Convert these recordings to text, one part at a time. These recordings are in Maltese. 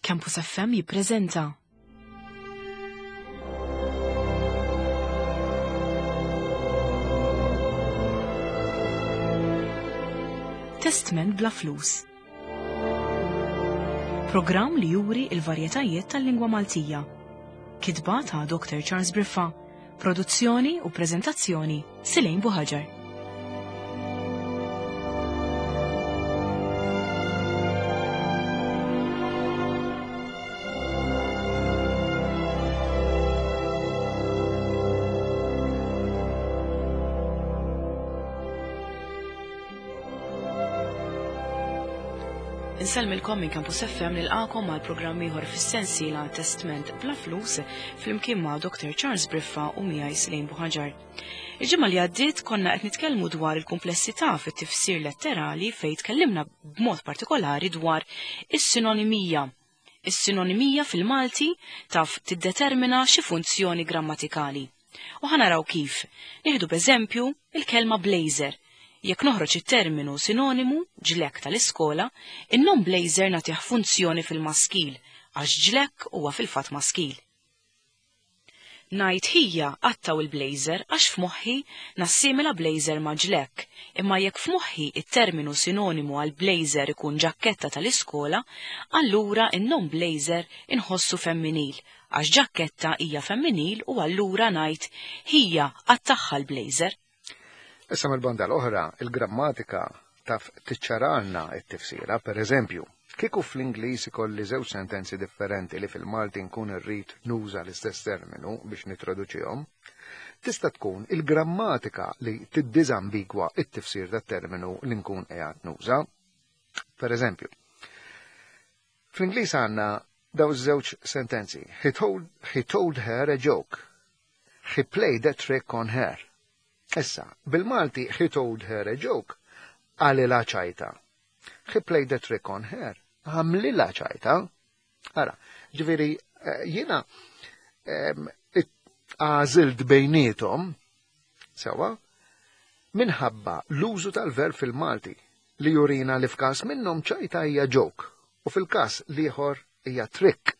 Campus FM jippreżenta. Testment bla flus. Programm li juri il-varjetajiet tal-lingwa Maltija. Kitba ta' Dr. Charles Briffa. Produzzjoni u preżentazzjoni Silejn Buħaġar. Insellmilkom minn Campus FM nilqakom għal programm ieħor fis-sensiela Testment bla flus flimkien ma' Dr. Charles Briffa u miegħi Slejn Buħaġar. Il-ġimgħa li għaddiet konna qed nitkellmu dwar il-kumplessità fit-tifsir letterali fejn tkellimna b'mod partikolari dwar is-sinonimija. Is-sinonimija fil-Malti taf tiddetermina xi funzjoni grammatikali. U ħa naraw kif. Nieħdu b'eżempju il-kelma blazer. Jekk noħroġ it-terminu sinonimu, ġlekk tal-iskola, in-nom blazer nagħtih funzjoni fil-maskil, għax ġlekk huwa fil-fatt maskil. Ngħid ħija qattgħu il-blazer għax f'moħħi nassimila blazer ma' ġlekk, imma jekk f'moħħi it-terminu sinonimu għal blazer ikun ġakketta tal-iskola, allura in-nom blazer inħossu femminil, għax ġakketta hija femminil u allura ngħid ħija qattagħha l-blazer. Issa mill-banda l-oħra, il-grammatika taf tiċċaralna t-tifsira, per eżempju, kieku fl-Ingliż ikolli żewġ sentenzi differenti li fil-Malti nkun irrid nuża l-istess terminu biex nittraduċihom, tista' tkun il-grammatika li tiddiżambigwa t-tifsir tat-terminu li nkun qiegħed nuża. Per eżempju, fl-Ingliż għandna daw żewġ sentenzi. He told, he told her a joke. He played a trick on her. Issa, bil-Malti he told her a joke, qalilha ċajta. He played a trick on her, għamlilha ċajta. Ara, ġifieri eh, jiena għażilt bejnietom, sewa, minħabba l-użu tal-verb fil-Malti li jurina li f'każ minnhom ċajta hija joke u fil-każ l-ieħor hija trick.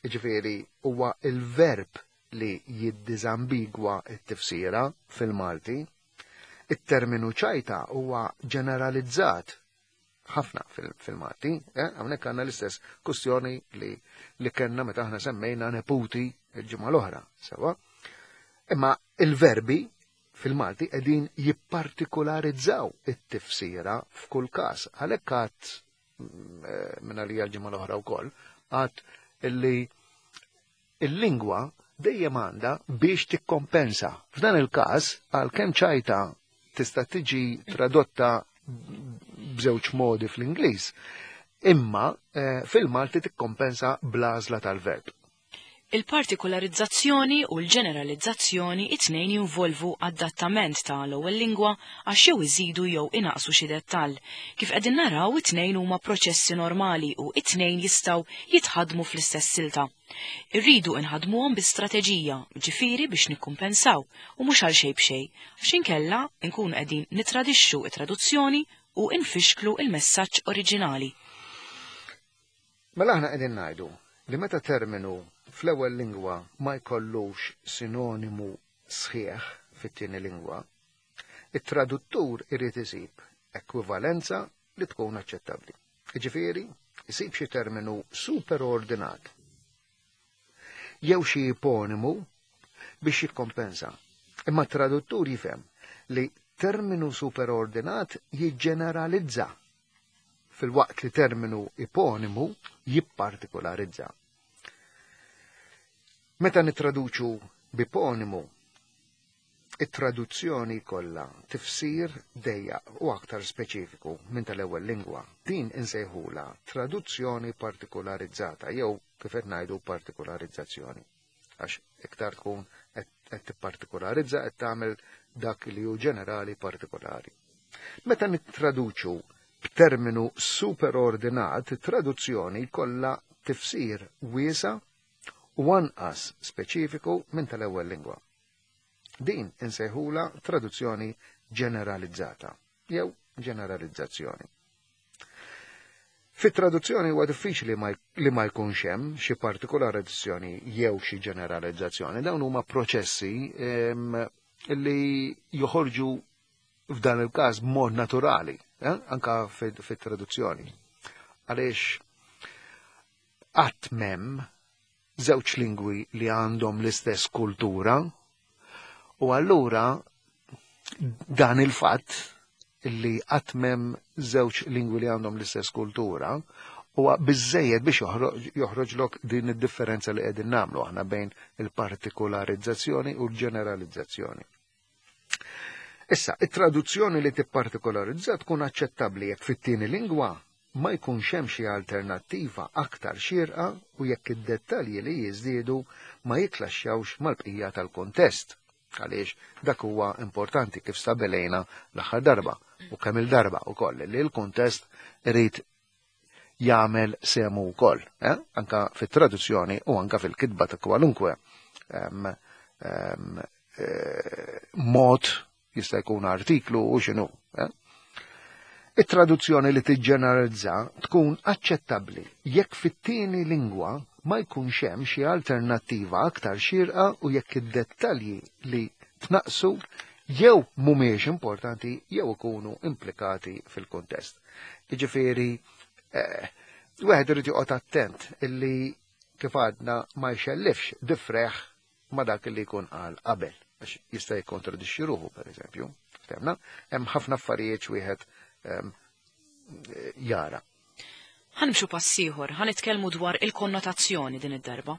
Jiġifieri huwa l-verb li jiddiżambigwa t-tifsira fil-Malti. It-terminu ċajta huwa ġeneralizzat ħafna fil-Malti. Eh? Hawnhekk għandna l-istess kustjoni li, li kellna meta aħna semmejna neputi il-ġimgħa l-oħra, sewa. Imma il-verbi fil-Malti qegħdin jippartikularizzaw it-tifsira f'kull każ. Għalhekk għad mm, minn għalija l-ġimgħa l-oħra wkoll, għad illi il-lingwa dejjem għandha biex tikkompensa. F'dan il-każ, għalkemm ċajta tista' tiġi tradotta b'żewġ modi fl-Ingliż, imma eh, fil-Malti tikkompensa bl-għażla tal-verb. Il-partikularizzazzjoni u l-ġeneralizzazzjoni it-tnejn jinvolvu adattament ta' l-ewwel lingwa għax jew iżidu jew inaqqsu xi dettall. Kif qegħdin naraw it-tnejn huma proċessi normali u it-tnejn jistgħu jitħaddmu fl-istess silta. Irridu inħaddmuhom bi strateġija, ġifieri biex nikkumpensaw u mhux għal xejn b'xejn, għax inkella nkunu qegħdin nitradixxu t-traduzzjoni u nfixklu l-messaġġ oriġinali. Mela aħna qegħdin ngħidu li meta terminu fl-ewwel lingwa ma jkollux sinonimu sħiħ fit-tieni lingwa, it-traduttur irid isib ekwivalenza li tkun aċċettabbli. Jiġifieri, isib xi terminu superordinat jew xi iponimu biex jikkompensa. Imma t-traduttur jifhem li terminu superordinat jiġġeneralizza filwaqt li terminu iponimu jippartikolarizza. Meta nittraduċu b'iponimu, it-traduzzjoni jkollha tifsir dejjaq u aktar speċifiku minn tal-ewwel lingwa. Din insejħulha traduzzjoni partikularizzata jew kif qed ngħidu partikularizzazzjoni. Għax iktar tkun qed tippartikularizza qed tagħmel dak li hu ġenerali partikolari. Meta nittraduċu b'terminu superordinat, it-traduzzjoni jkollha tifsir wiesa' u anqas speċifiku minn tal-ewwel lingwa. Din insejħulha traduzzjoni ġeneralizzata jew ġeneralizzazzjoni. Fit-traduzzjoni huwa diffiċli li ma jkunx hemm xi partikolarizzazzjoni jew xi ġeneralizzazzjoni. Dawn huma proċessi li joħorġu f'dan il-każ b'mod naturali, anka fit-traduzzjoni. Għaliex qatt m'hemm żewġ lingwi li għandhom l-istess kultura u allura dan il-fatt li qatt m'hemm żewġ lingwi li għandhom l-istess kultura huwa biżejjed biex joħroġlok din id-differenza li qegħdin nagħmlu aħna bejn il-partikolarizzazzjoni u l-ġeneralizzazzjoni. Issa, it-traduzzjoni li tippartikolarizza tkun aċċettabbli jekk fit-tieni lingwa ma jkunx hemm xi alternattiva aktar xierqa u jekk id-dettalji li jiżdiedu ma jiklaxxawx mal-bqija tal-kuntest. Għaliex dak huwa importanti kif stabilejna l-aħħar darba u kemm il-darba wkoll li l-kuntest irid jagħmel semu wkoll, eh? Anka fit-traduzzjoni u anka fil-kitba ta' kwalunkwe mod jista' jkun artiklu u x'inhu. Eh? It-traduzzjoni li tiġġeneralizza tkun aċċettabbli jekk fit-tieni lingwa ma jkunx hemm xi alternattiva aktar xierqa u jekk id-dettalji li tnaqsu jew mhumiex importanti jew ikunu implikati fil-kuntest. Jiġifieri, wieħed irid joqgħod attent illi kif għadna ma jxellifx difreħ ma dak li jkun qal qabel, għax jista' jikkontradixxi ruħu, pereżempju. Ftemna, hemm ħafna affarijiet wieħed jara. Ħanimxu pass ieħor, ħa nitkellmu dwar il-konnotazzjoni din id-darba.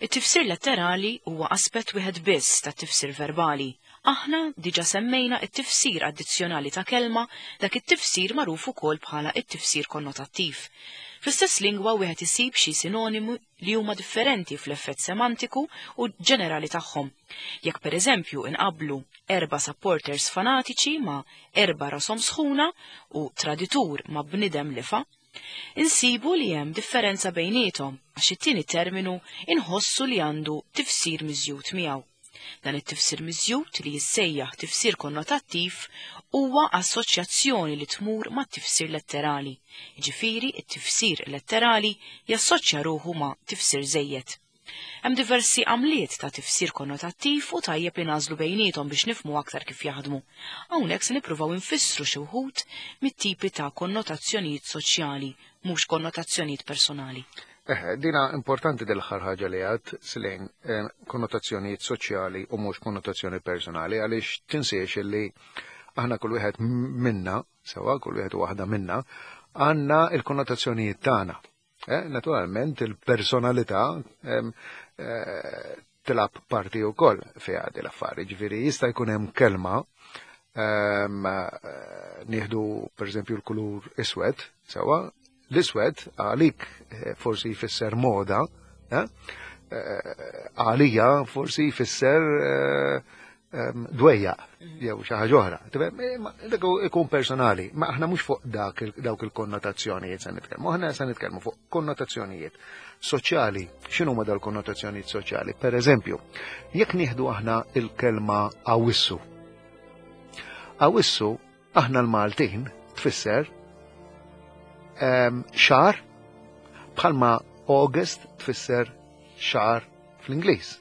It-tifsir letterali huwa aspett wieħed biss tat-tifsir verbali. Aħna diġà semmejna t-tifsir addizzjonali ta' kelma, dak it-tifsir magħruf ukoll bħala t-tifsir konnotattiv. Fl-istess lingwa wieħed isib xi sinonimi li huma differenti fl-effett semantiku u ġenerali tagħhom. Jekk pereżempju inqabblu erba' supporters fanatiċi ma' erba' rashom sħuna u traditur ma' bnidem lifa, insibu li hemm differenza bejniethom għax it-tieni terminu inħossu li għandu tifsir miżjud miegħu. Dan it-tifsir miżjud li jissejjaħ tifsir konnotattiv huwa assoċjazzjoni li tmur mat-tifsir letterali, jiġifieri t-tifsir letterali jassoċja ruħu ma' tifsir żejjed. Hemm diversi għamliet ta' tifsir konnotattiv u tajjeb li nagħżlu bejniethom biex nifhmu aktar kif jaħdmu. Hawnhekk se nippruvaw infissru xi wħud mit-tipi ta' konnotazzjonijiet soċjali, mhux konnotazzjonijiet personali. Eħe, dina importanti dil-aħħar ħaġa li għad, Silejn, konnotazzjonijiet soċjali u mhux konnotazzjoni personali, għaliex tinsiex li aħna kull wieħed minna, sewa kull wieħed u waħda minna, għandna il-konnotazzjonijiet tagħna. Naturalment il-personalità tilab parti wkoll fiha din l-affari, ġifieri jista' jkun hemm kelma nieħdu pereżempju l-kulur iswed, sewa, l-iswed għalik forsi jfisser moda, għalija forsi jfisser dwejja jew xi ħaġa oħra. Dak ikun personali, ma aħna mhux fuq dawk il-konnotazzjonijiet se nitkellmu, aħna se nitkellmu fuq konnotazzjonijiet soċjali. X'inhu ma dal-konnotazzjonijiet soċjali? Per eżempju, jekk nieħdu aħna il-kelma awissu. Awissu aħna l-Maltin tfisser xahar bħalma August tfisser xahar fl-Ingliż.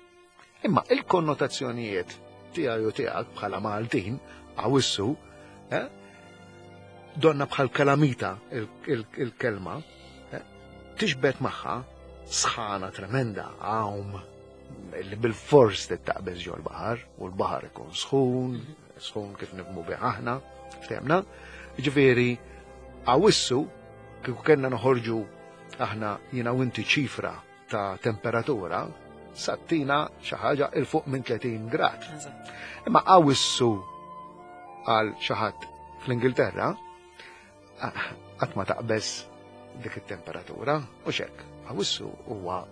Imma il-konnotazzjonijiet tiegħi u tiegħek bħala Maltin, awissu, donna bħal kalamita il-kelma, tixbet magħha sħana tremenda, għawm, li bil-fors tittaqbeż ġol baħar, u l-baħar ikun sħun, sħun kif nifhmu bih aħna, ftemna. Ġifieri, awissu, kieku kellna noħorġu aħna jiena u inti ċifra ta' temperatura, sattina xi ħaġa il fuq minn 30 grad. Imma awissu għal xi ħadd fl-Ingilterra, qatt ma taqbeż dik it-temperatura, u xek. Awissu huwa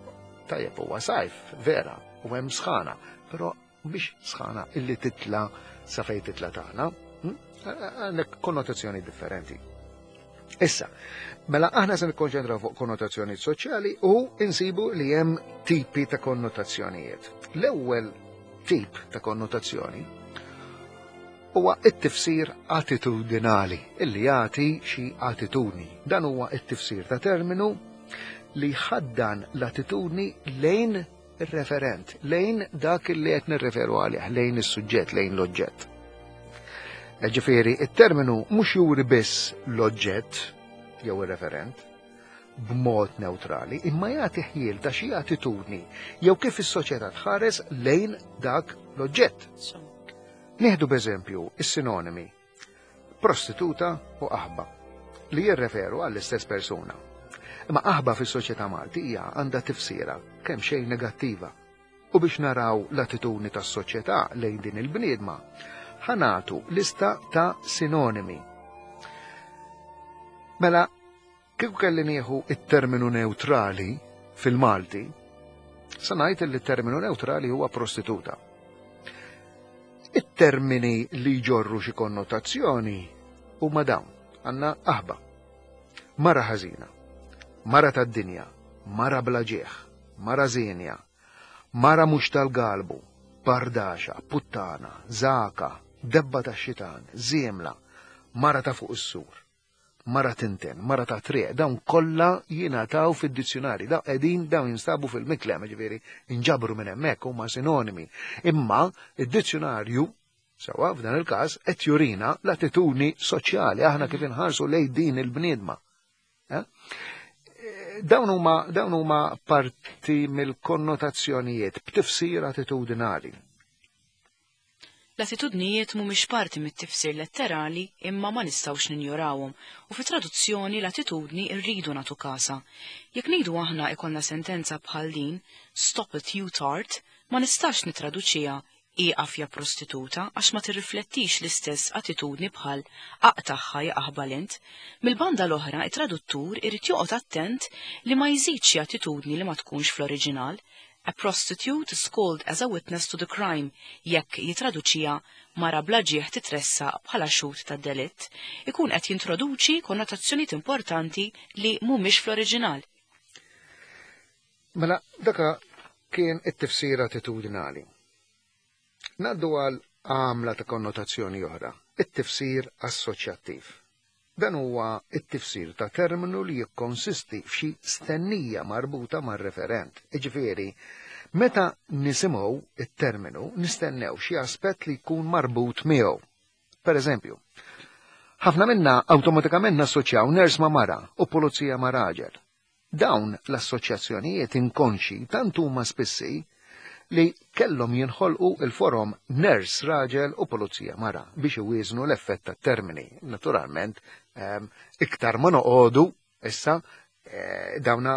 tajjeb huwa sajf, vera, u hemm sħana, però mhix sħana illi titla sa fejn titla tagħna, Għandek konnotazzjoni differenti. Issa, mela aħna se nikkonċentraw fuq konnotazzjonijiet soċjali u insibu li hemm tipi ta' konnotazzjonijiet. L-ewwel tip ta' konnotazzjoni huwa t-tifsir attitudinali, illi jagħti xi attitudni. Dan huwa t-tifsir ta' terminu li jħaddan l-attitudni lejn ir-referent, lejn dak li qed nirreferu għalih, lejn is-suġġett, lejn l-oġġett. Ġifieri, it-terminu mhux juri biss l-oġġett jew ir-referent b'mod neutrali, imma jagħti ħjiel ta' xi attitudni jew kif is-soċjetà tħares lejn dak l-oġġett. Nieħdu b'eżempju is-sinonimi prostituta u qaħba li jirreferu għall-istess persuna. Imma qaħba fis-soċjetà Maltija għandha tifsira kemm xejn negattiva. U biex naraw l-attitudni tas-soċjetà lejn din il-bniedma, ħanatu lista ta' sinonimi. Mela, kieku kelli nieħu it-terminu neutrali fil-Malti, sa ngħid li t-terminu neutrali huwa prostituta. It-termini li jġorru xi konnotazzjoni huma dawn. Għandna qaħba, mara ħażina, mara tad-dinja, mara bla ġieħ, mara żienja, mara mhux tal-galbu, bardaxa, puttana, żaka, debba tax-xitan, żiemla, mara ta' fuq is-sur, mara tinten, mara ta' triq, dawn kollha jingħataw fid-dizzjunari, dawn qegħdin dawn jinstabu fil-miklem, ġifieri inġabru minn hemmhekk huma sinonimi. Imma id-dizzjunarju sewwa f'dan il-każ qed jurina l-attitudni soċjali aħna kif inħarsu lejn din il-bniedma. Eh? Dawn huma dawn huma parti mill-konnotazzjonijiet b'tifsir attitudinali. L-attitudnijiet mhumiex parti mit-tifsir letterali imma ma nistgħux ninjorawhom u fit-traduzzjoni l-attitudni rridu nagħtu kasha. Jekk ngħidu aħna ikollna sentenza bħal din, "Stop it you tart", ma nistax nittraduċiha ieqaf ja prostituta għax ma tirriflettix l-istess attitudni bħal aqtagħha ja aħbal int. Mill-banda l-oħra, it-traduttur irid joqgħod attent li ma jżidx xi attitudni li ma tkunx fl-oriġinal. A prostitute is called as a witness to the crime, jekk jitraduċiha mara bla ġieħ titressaq bħala xhud tad-delitt, ikun qed jintroduċi konnotazzjonijiet importanti li mhumiex fl-oriġinal. Mela, daka kien it-tifsir attitudinali. Ngħaddu għal għamla ta' konnotazzjoni oħra, it-tifsir assoċjattiv. Dan huwa t-tifsir ta' terminu li jikkonsisti f'xi stennija marbuta mar-referent. Jiġifieri, meta nisimgħu t-terminu nistennew xi aspett li jkun marbut miegħu. Per eżempju, ħafna minna awtomatikament nassoċjaw ners ma' mara u pulizija ma' raġel. Dawn l-assoċjazzjonijiet inkonxji tant huma spissi li kellhom jinħolqu l-forom ners raġel u pulizija mara biex iwieżnu l-effett tat-termini. Naturalment, iktar ma noqogħdu issa dawna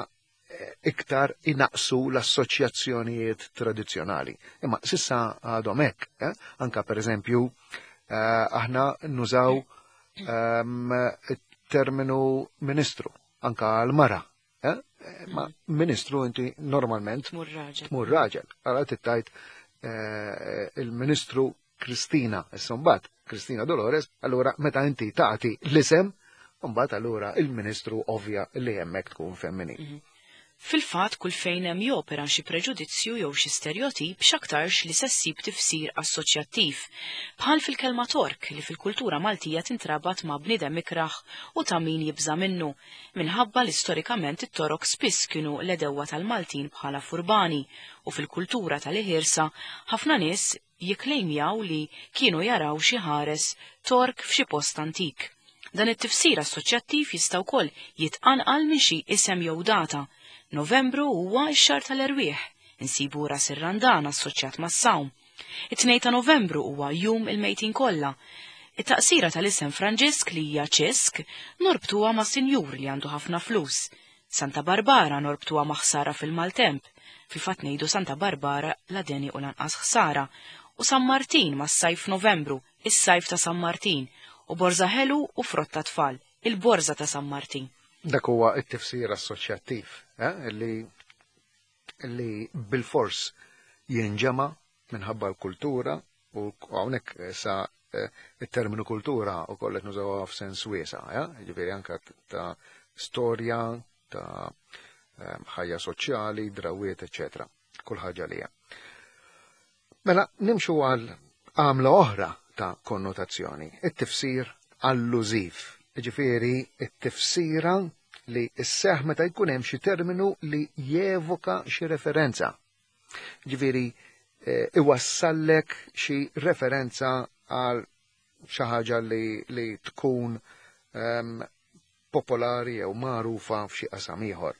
iktar inaqsu l-assoċjazzjonijiet tradizzjonali. Imma sissa għadhom hekk, eh? Anka pereżempju aħna nużaw terminu ministru anka għal mara. Eh? Ma ministru inti normalment tmur raġel. Tmur raġel. Għala tittajt eh, il-ministru Kristina, issa mbagħad Kristina Dolores, allura meta inti tagħti l-isem, mbagħad allura il-ministru ovvja li hemmhekk tkun femminil. Fil-fatt, kull fejn hemm jopera xi preġudizzju jew xi sterjotip x'aktarx li se ssib tifsir assoċjattiv, bħal fil-kelma Tork li fil-kultura Maltija tintrabat ma' bniedem ikrah u ta' min jibża' minnu, minħabba li storikament it-Torok spiss kienu l-għedewwa tal-Maltin bħala furbani u fil-kultura tal-iħirsa ħafna nies jikklejmjaw li kienu jaraw xi ħares Tork f'xi post antik. Dan it-tifsir assoċjattiv jista' wkoll jitqanqal minn xi isem jew data. Novembru huwa x-xahar tal-erwieħ, insibu Ras ir-Randan assoċjat mas-sawm. It-Tnejn ta' Novembru huwa Jum il-Mejtin Kollha. It-taqsira tal-isem Franġisk li hija Ċisk norbtuha ma' sinjur li għandu ħafna flus. Santa Barbara norbtuha ma' ħsara fil-maltemp, fil-fatt ngħidu Santa Barbara la deni u lanqas ħsara, u San Martin mas-sajf f'Novembru, is-sajf ta' San Martin, u borża ħelu u frott tat-tfal, il-borża ta' San Martin. Dak huwa t-tifsir assoċjattiv, eh, li li bilfors jinġema' minħabba l-kultura u hawnhekk sa eh, it-terminu kultura u kollet nużawha f'sens wiesa', eh? Ġifieri anke ta' storja, ta' eh, ħajja soċjali, drawiet, eċetera. Kull ħaġa li hemm. Mela nimxu għal għamla oħra ta' konnotazzjoni, it-tifsir allużiv. Jiġifieri t-tifsira li sseħħ meta jkun hemm xi terminu li jevoka xi referenza. Ġifieri eh, iwassallek xi referenza għal xi ħaġa li, li tkun um, popolari jew magħrufa f'xi qasam ieħor.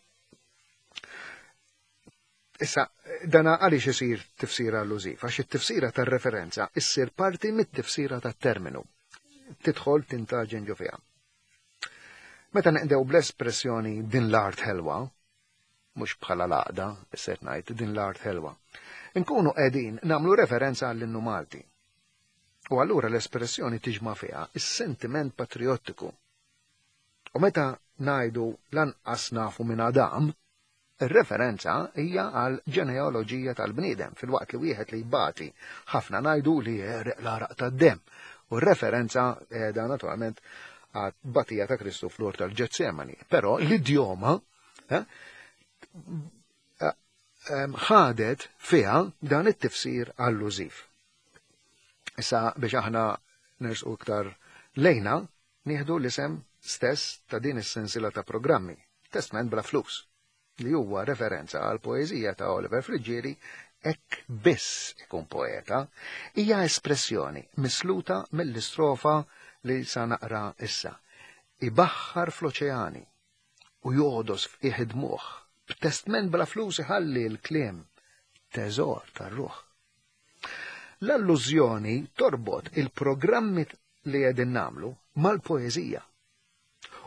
Issa, dana għaliex isir tifsira allużiv? Għax it-tifsira tar-referenza issir parti mit-tifsira tat-terminu. Tidħol tintaġen ġo fiha. Meta neqdew bl-espressjoni din l-art ħelwa, mhux bħala l-għaqda, issa qed ngħid din l-art ħelwa. Inkunu qegħdin nagħmlu referenza għall-innu Malti. U allura l-espressjoni tiġma' fiha is-sentiment patriottiku. U meta ngħidu lanqas nafu minn Adam, ir-referenza hija għal ġenealoġija tal-bniedem filwaqt li wieħed li jbati ħafna ngħidu li jereq l-għaraq tad-demm. U r-referenza qiegħda naturalment għat-tbatija ta' Kristu fl-ort tal-Ġetsemani. Però l-idjoma eh, ħadet fiha dan it-tifsir allużiv. Issa biex aħna nersqu iktar lejna, nieħdu l-isem stess ta' din is-sensiela ta' programmi, Testment bla flus, li huwa referenza għal poeżija ta' Oliver Friggieri Hekk biss ikun poeta, hija espressjoni misluta mill-istrofa li sa naqra issa. Ibaħħar fl-oċeani, u jogħdos f'qiegħ id-dmugħ, b'testment bla flus iħalli l-kliem teżor tar-ruħ. L-allużjoni torbot il-programmi li qegħdin nagħmlu mal-poeżija.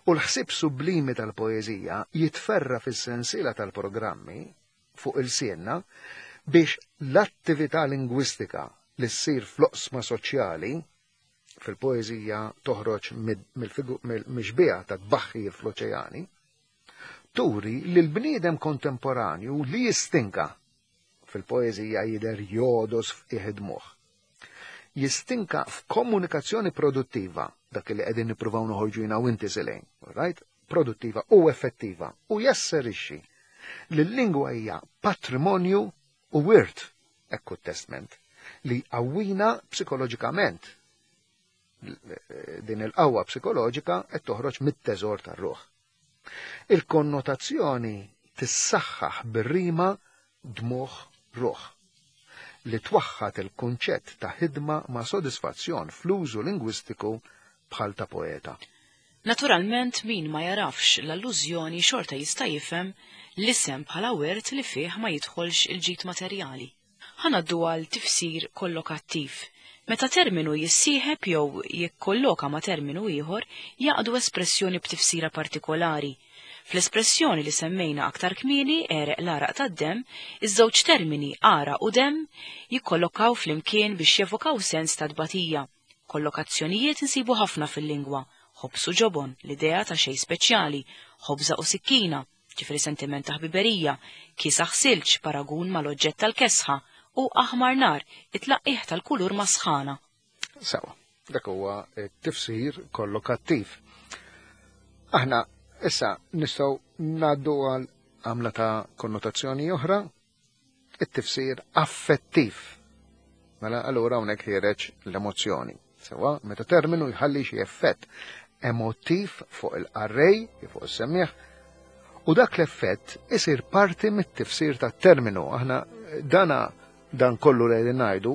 U l-ħsieb sublimi tal-poeżija jitferra fis-sensiela tal-programmi fuq ilsienna biex l-attività lingwistika li ssir fl-oqsma soċjali fil-poeżija toħroġ mill-mixbieha ta' tbaħħir fl-oċeani, turi li l-bniedem kontemporanju li jistinka fil-poeżija jidher jogħdos f'qiegħ id-dmugħ. Jistinka f'komunikazzjoni produttiva, dak li qegħdin nippruvaw noħorġu jiena u inti Selene, right? Produttiva u effettiva u jasserixxi li l-lingwa hija patrimonju u wirt Hekk hu t-testment li jqawwina psikoloġikament. Din il-qawwa psikoloġika qed toħroġ mit-teżor tar-ruħ. Il-konnotazzjoni tissaħħaħ bir-rima dmugħ ruħ li twaħħad il-kunċett ta' ħidma ma' sodisfazzjon fl-użu lingwistiku bħal ta' poeta. Naturalment min ma jagħrafx l-allużjoni xorta jista' jifhem l-isem bħala wirt li fih ma jidħolx il-ġid materjali. Ħa ngħaddu għal tifsir kollokattiv. Meta terminu jissieħeb jew jikkolloka ma' terminu ieħor jgħaqqdu espressjoni b'tifsira partikolari. Fl-espressjoni li semmejna aktar kmieni għereq l-għaraq tad-demm, iż-żewġ termini għaraq u demm jikkollokaw flimkien biex jevokaw sens ta' tbatija. Kollokazzjonijiet insibu ħafna fil-lingwa, ħobż u ġobon, l-idea ta' xejn speċjali, ħobża u sikkina, ġifieri sentiment ta' ħbiberija, kiesaħ silġ, paragun mal-oġġett tal-kesħa, u aħmar nar, it-tlaqqigħ tal-kulur mas-sħana. Sewa, dak huwa t-tifsir kollokattiv. Aħna issa nistgħu ngħaddu għal għamla ta' konnotazzjoni oħra it-tifsir affettiv. Mela allura hawnhekk ħiereġ l-emozzjoni. Sewa, meta terminu jħalli xi effett emotiv fuq il-qarrej, fuq is-semmiegħ, u dak l-effett isir parti mit-tifsir tat-terminu. Aħna dana dan kollu li qegħdin ngħidu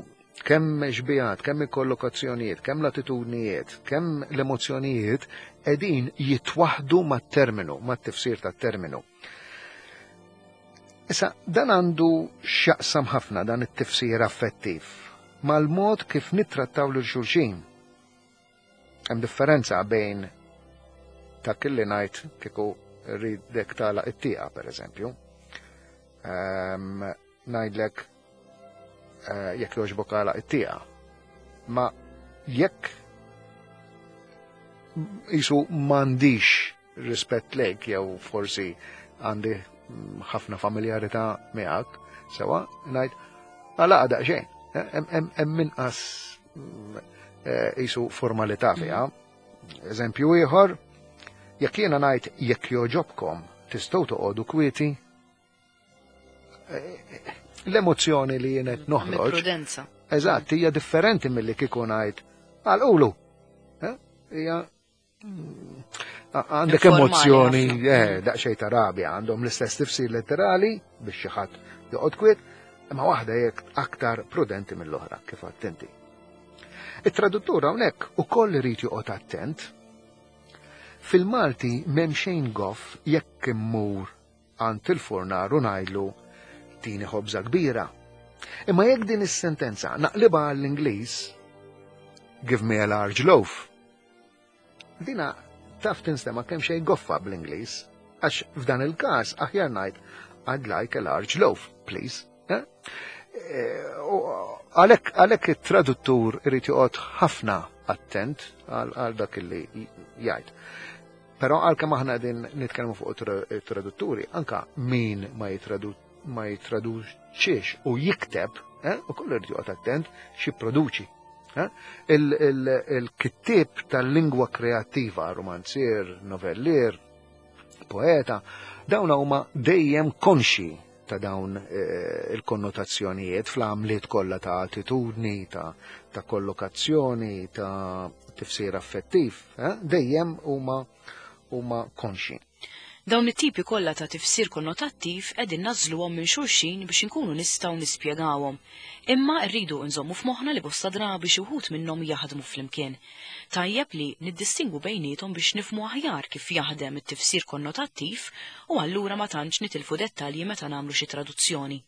kemm xbijat, kemm il-kollokazzjonijiet, kemm l-attitudnijiet, kemm l-emozzjonijiet qegħdin jitwaħdu mat-terminu, mat-tifsir tat-terminu. Issa, dan għandu x'jaqsam ħafna dan it-tifsir affettiv mal-mod kif nittrattaw lil xulxin. Hemm differenza bejn dak li ngħid kieku rridek tagħlaq it-tieqa pereżempju. Ehm, ngħidlek eh, jekk jogħġbok għalaq it-tieqa. Ma jekk jisu m'għandix rispett lejk jew forsi għandi ħafna familjarità miegħek, sewa ngħid għala daqsxejn, hemm inqas eh, jisu formalità fiha. Eżempju ieħor, jekk jiena ngħid jekk joġobkom tistgħu toqogħdu kwieti, eh, l-emozzjoni li jien qed noħroġ. Prudenza. Eżatt, hija differenti milli kieku ngħid Għalqulu. Eh? Hija għandek emozzjoni, eh, daqsxejn ta' rabja, għandhom l-istess tifsir letterali biex xi ħadd joqgħod kwiet, imma waħda jekk aktar prudenti mill-oħra kif attenti. It-traduttur hawnhekk ukoll irid joqgħod attent. Fil-Malti m'hemm xejn goff jekk immur għand il-furnar u ngħidlu tini ħobża kbira. Imma jekk din is-sentenza naqlibha għall-Ingliż, give me a large loaf. Dina taf tinstema' kemm xejn goffa bl-Ingliż, għax f'dan il-każ aħjar ngħid I'd like a large loaf, please. Eh? Eh, għalhekk it-traduttur irid joqgħod ħafna attent għal dak li jgħid. Però għalkemm aħna qegħdin nitkellmu fuq it-tradutturi, anka min ma jitraduċiex u jikteb, eh, u kollu irid joqgħod attent x'jipproduċi. Eh? Il-kittieb tal-lingwa kreattiva, romanzier, novellier, poeta, dawn huma dejjem konxi ta' dawn eh, il-konnotazzjonijiet fl-għamliet kollha ta' attitudni, ta', ta kollokazzjoni, ta' tifsir affettiv, eh, dejjem huma huma konxi. Dawn it-tipi kollha ta' tifsir konnotattiv qegħdin nagħżluhom minn xulxin biex inkunu nistgħu nispjegawhom. Imma rridu nżommu f'moħħna li bosta drabi xi wħud minnhom jaħdmu flimkien. Tajjeb li niddistingwu bejniethom biex nifhmu aħjar kif jaħdem it-tifsir konnotattiv u allura ma tantx nitilfu dettalji meta nagħmlu xi traduzzjoni.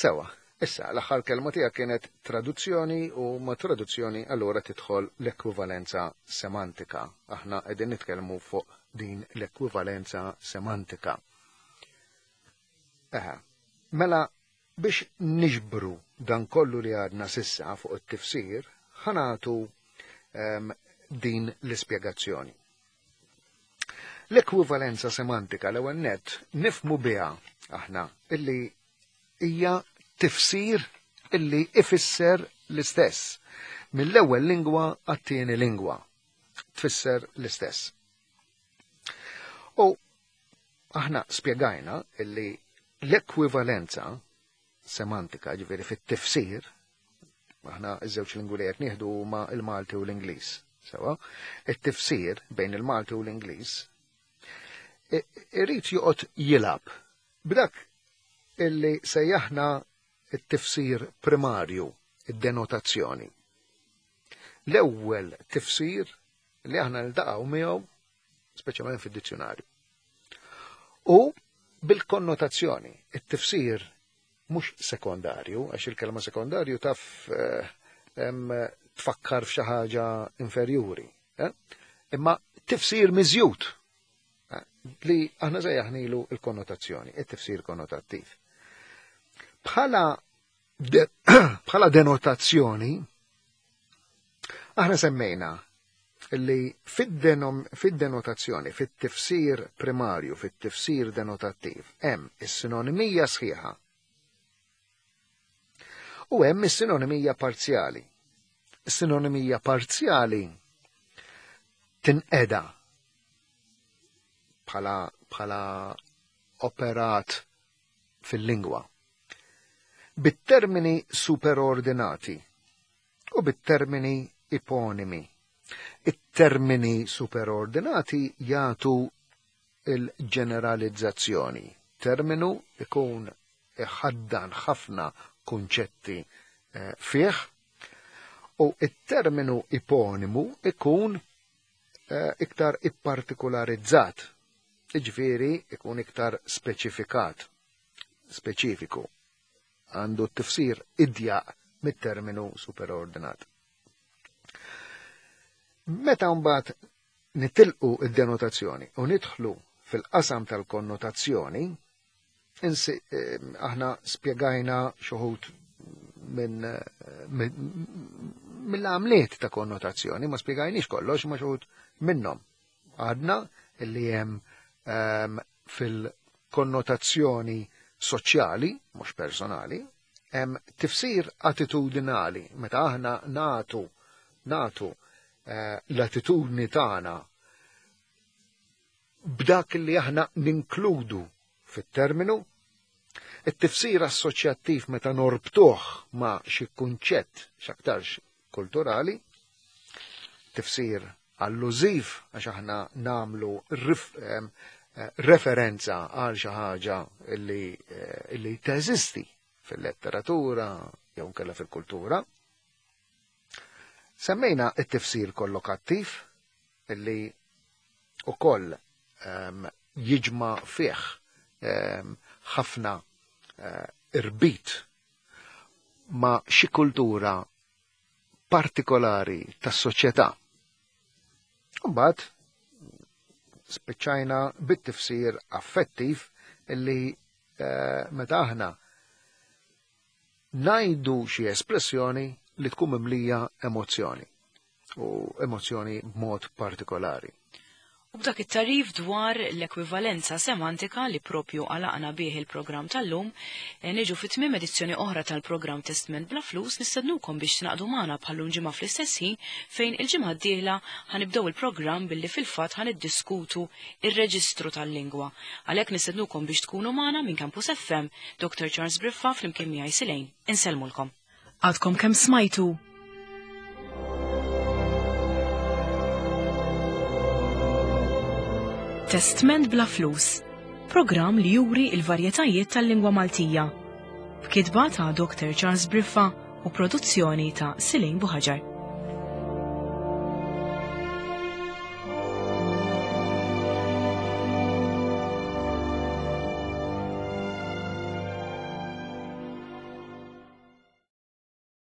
Sewa, issa l-aħħar kelma tiegħek kienet traduzzjoni u ma' traduzzjoni allura tidħol l-ekwivalenza semantika. Aħna qegħdin nitkellmu fuq din l-ekwivalenza semantika. Eħe, mela biex niġbru dan kollu li għadna sissa fuq it-tifsir, ħanatu um, din l-ispjegazzjoni. L-ekwivalenza semantika l-ewwel nett nifhmu biha aħna illi hija tifsir illi ifisser l-istess. Mill-ewwel lingwa għat-tieni lingwa tfisser l-istess. U aħna spjegajna illi l-ekwivalenza semantika, ġifieri fit-tifsir, aħna iż-żewġ lingwi li qed nieħdu huma l-Malti u l-Ingliż. Sewa, it-tifsir bejn il-Malti u l-Ingliż irid joqgħod jilgħab b'dak illi sejjaħna it-tifsir primarju, id-denotazzjoni. L-ewwel tifsir li aħna niltaqgħu miegħu speċjalment fid-dizzjonarju. U bil-konnotazzjoni, it-tifsir mhux sekondarju, għax il-kelma sekondarju taf eh, tfakkar f'xi ħaġa inferjuri. Eh? Imma tifsir miżjud eh, li aħna sejjaħnilu il-konnotazzjoni, it-tifsir konnotattiv. Bħala de, bħala denotazzjoni, aħna semmejna li fid-denotazzjoni, fit-tifsir primarju, fit-tifsir denotattiv, hemm is-sinonimija sħiħa. U hemm is-sinonimija parzjali. Is-sinonimija parzjali tinqeda bħala bħala operat fil-lingwa. Bit-termini superordinati u bit-termini iponimi. It-termini superordinati jagħtu il-ġeneralizzazzjoni. Terminu ikun iħaddan ħafna kunċetti eh, fih u it-terminu iponimu ikun eh, iktar ippartikularizzat, iġifieri ikun iktar speċifikat, speċifiku għandu t-tifsir idjaq mit-terminu superordinat. Meta mbagħad nitilqu id-denotazzjoni u nidħlu fil-qasam tal-konnotazzjoni, eh, aħna spjegajna xuħut minn mill-għamliet ta' konnotazzjoni, ma spjegajniex kollox, ma xuħut minnhom. Għadna illi hemm ehm, fil-konnotazzjoni soċjali, mhux personali, hemm tifsir attitudinali, meta aħna natu natu eh, l-attitudni tagħna b'dak li aħna ninkludu fit-terminu, it-tifsir assoċjattiv meta norbtuh ma' xi kunċett, x'aktarx kulturali, tifsir allużiv għax aħna namlu eh, referenza għal xi ħaġa li, eh, li teżisti fil-letteratura jew nkella fil-kultura. Semmejna it-tifsir kollokattiv illi ukoll um, jiġma fih ehm, ħafna uh, irbit ma' xi kultura partikolari tas-soċjetà. Mbagħad spiċċajna bit-tifsir affettiv illi eh, meta aħna ngħidu xi espressjoni li tkun mimlija emozzjoni u emozzjoni b'mod partikolari. U b'dak it-tarif dwar l-ekwivalenza semantika li propju għalaqna bih il-programm tal-lum, eh, niġu fit tmiem edizzjoni oħra tal-programm Testment bla flus nistednukom biex tingħaqdu magħna bħallum ġimgħa fl-istess ħin fejn il-ġimgħa d-dieħla ħanibdew il-programm billi fil-fatt ħaniddiskutu ir-reġistru tal-lingwa. Għalhekk nistednukom biex tkunu magħna minn Campus FM, Dr. Charles Briffa flimkien miegħi Silejn. Insellmulkom. Għadkom kemm smajtu Testment bla flus, programm li juri il-varjetajiet tal-lingwa Maltija. B'kitba ta' Dr. Charles Briffa u produzzjoni ta' Silin Buħaġar.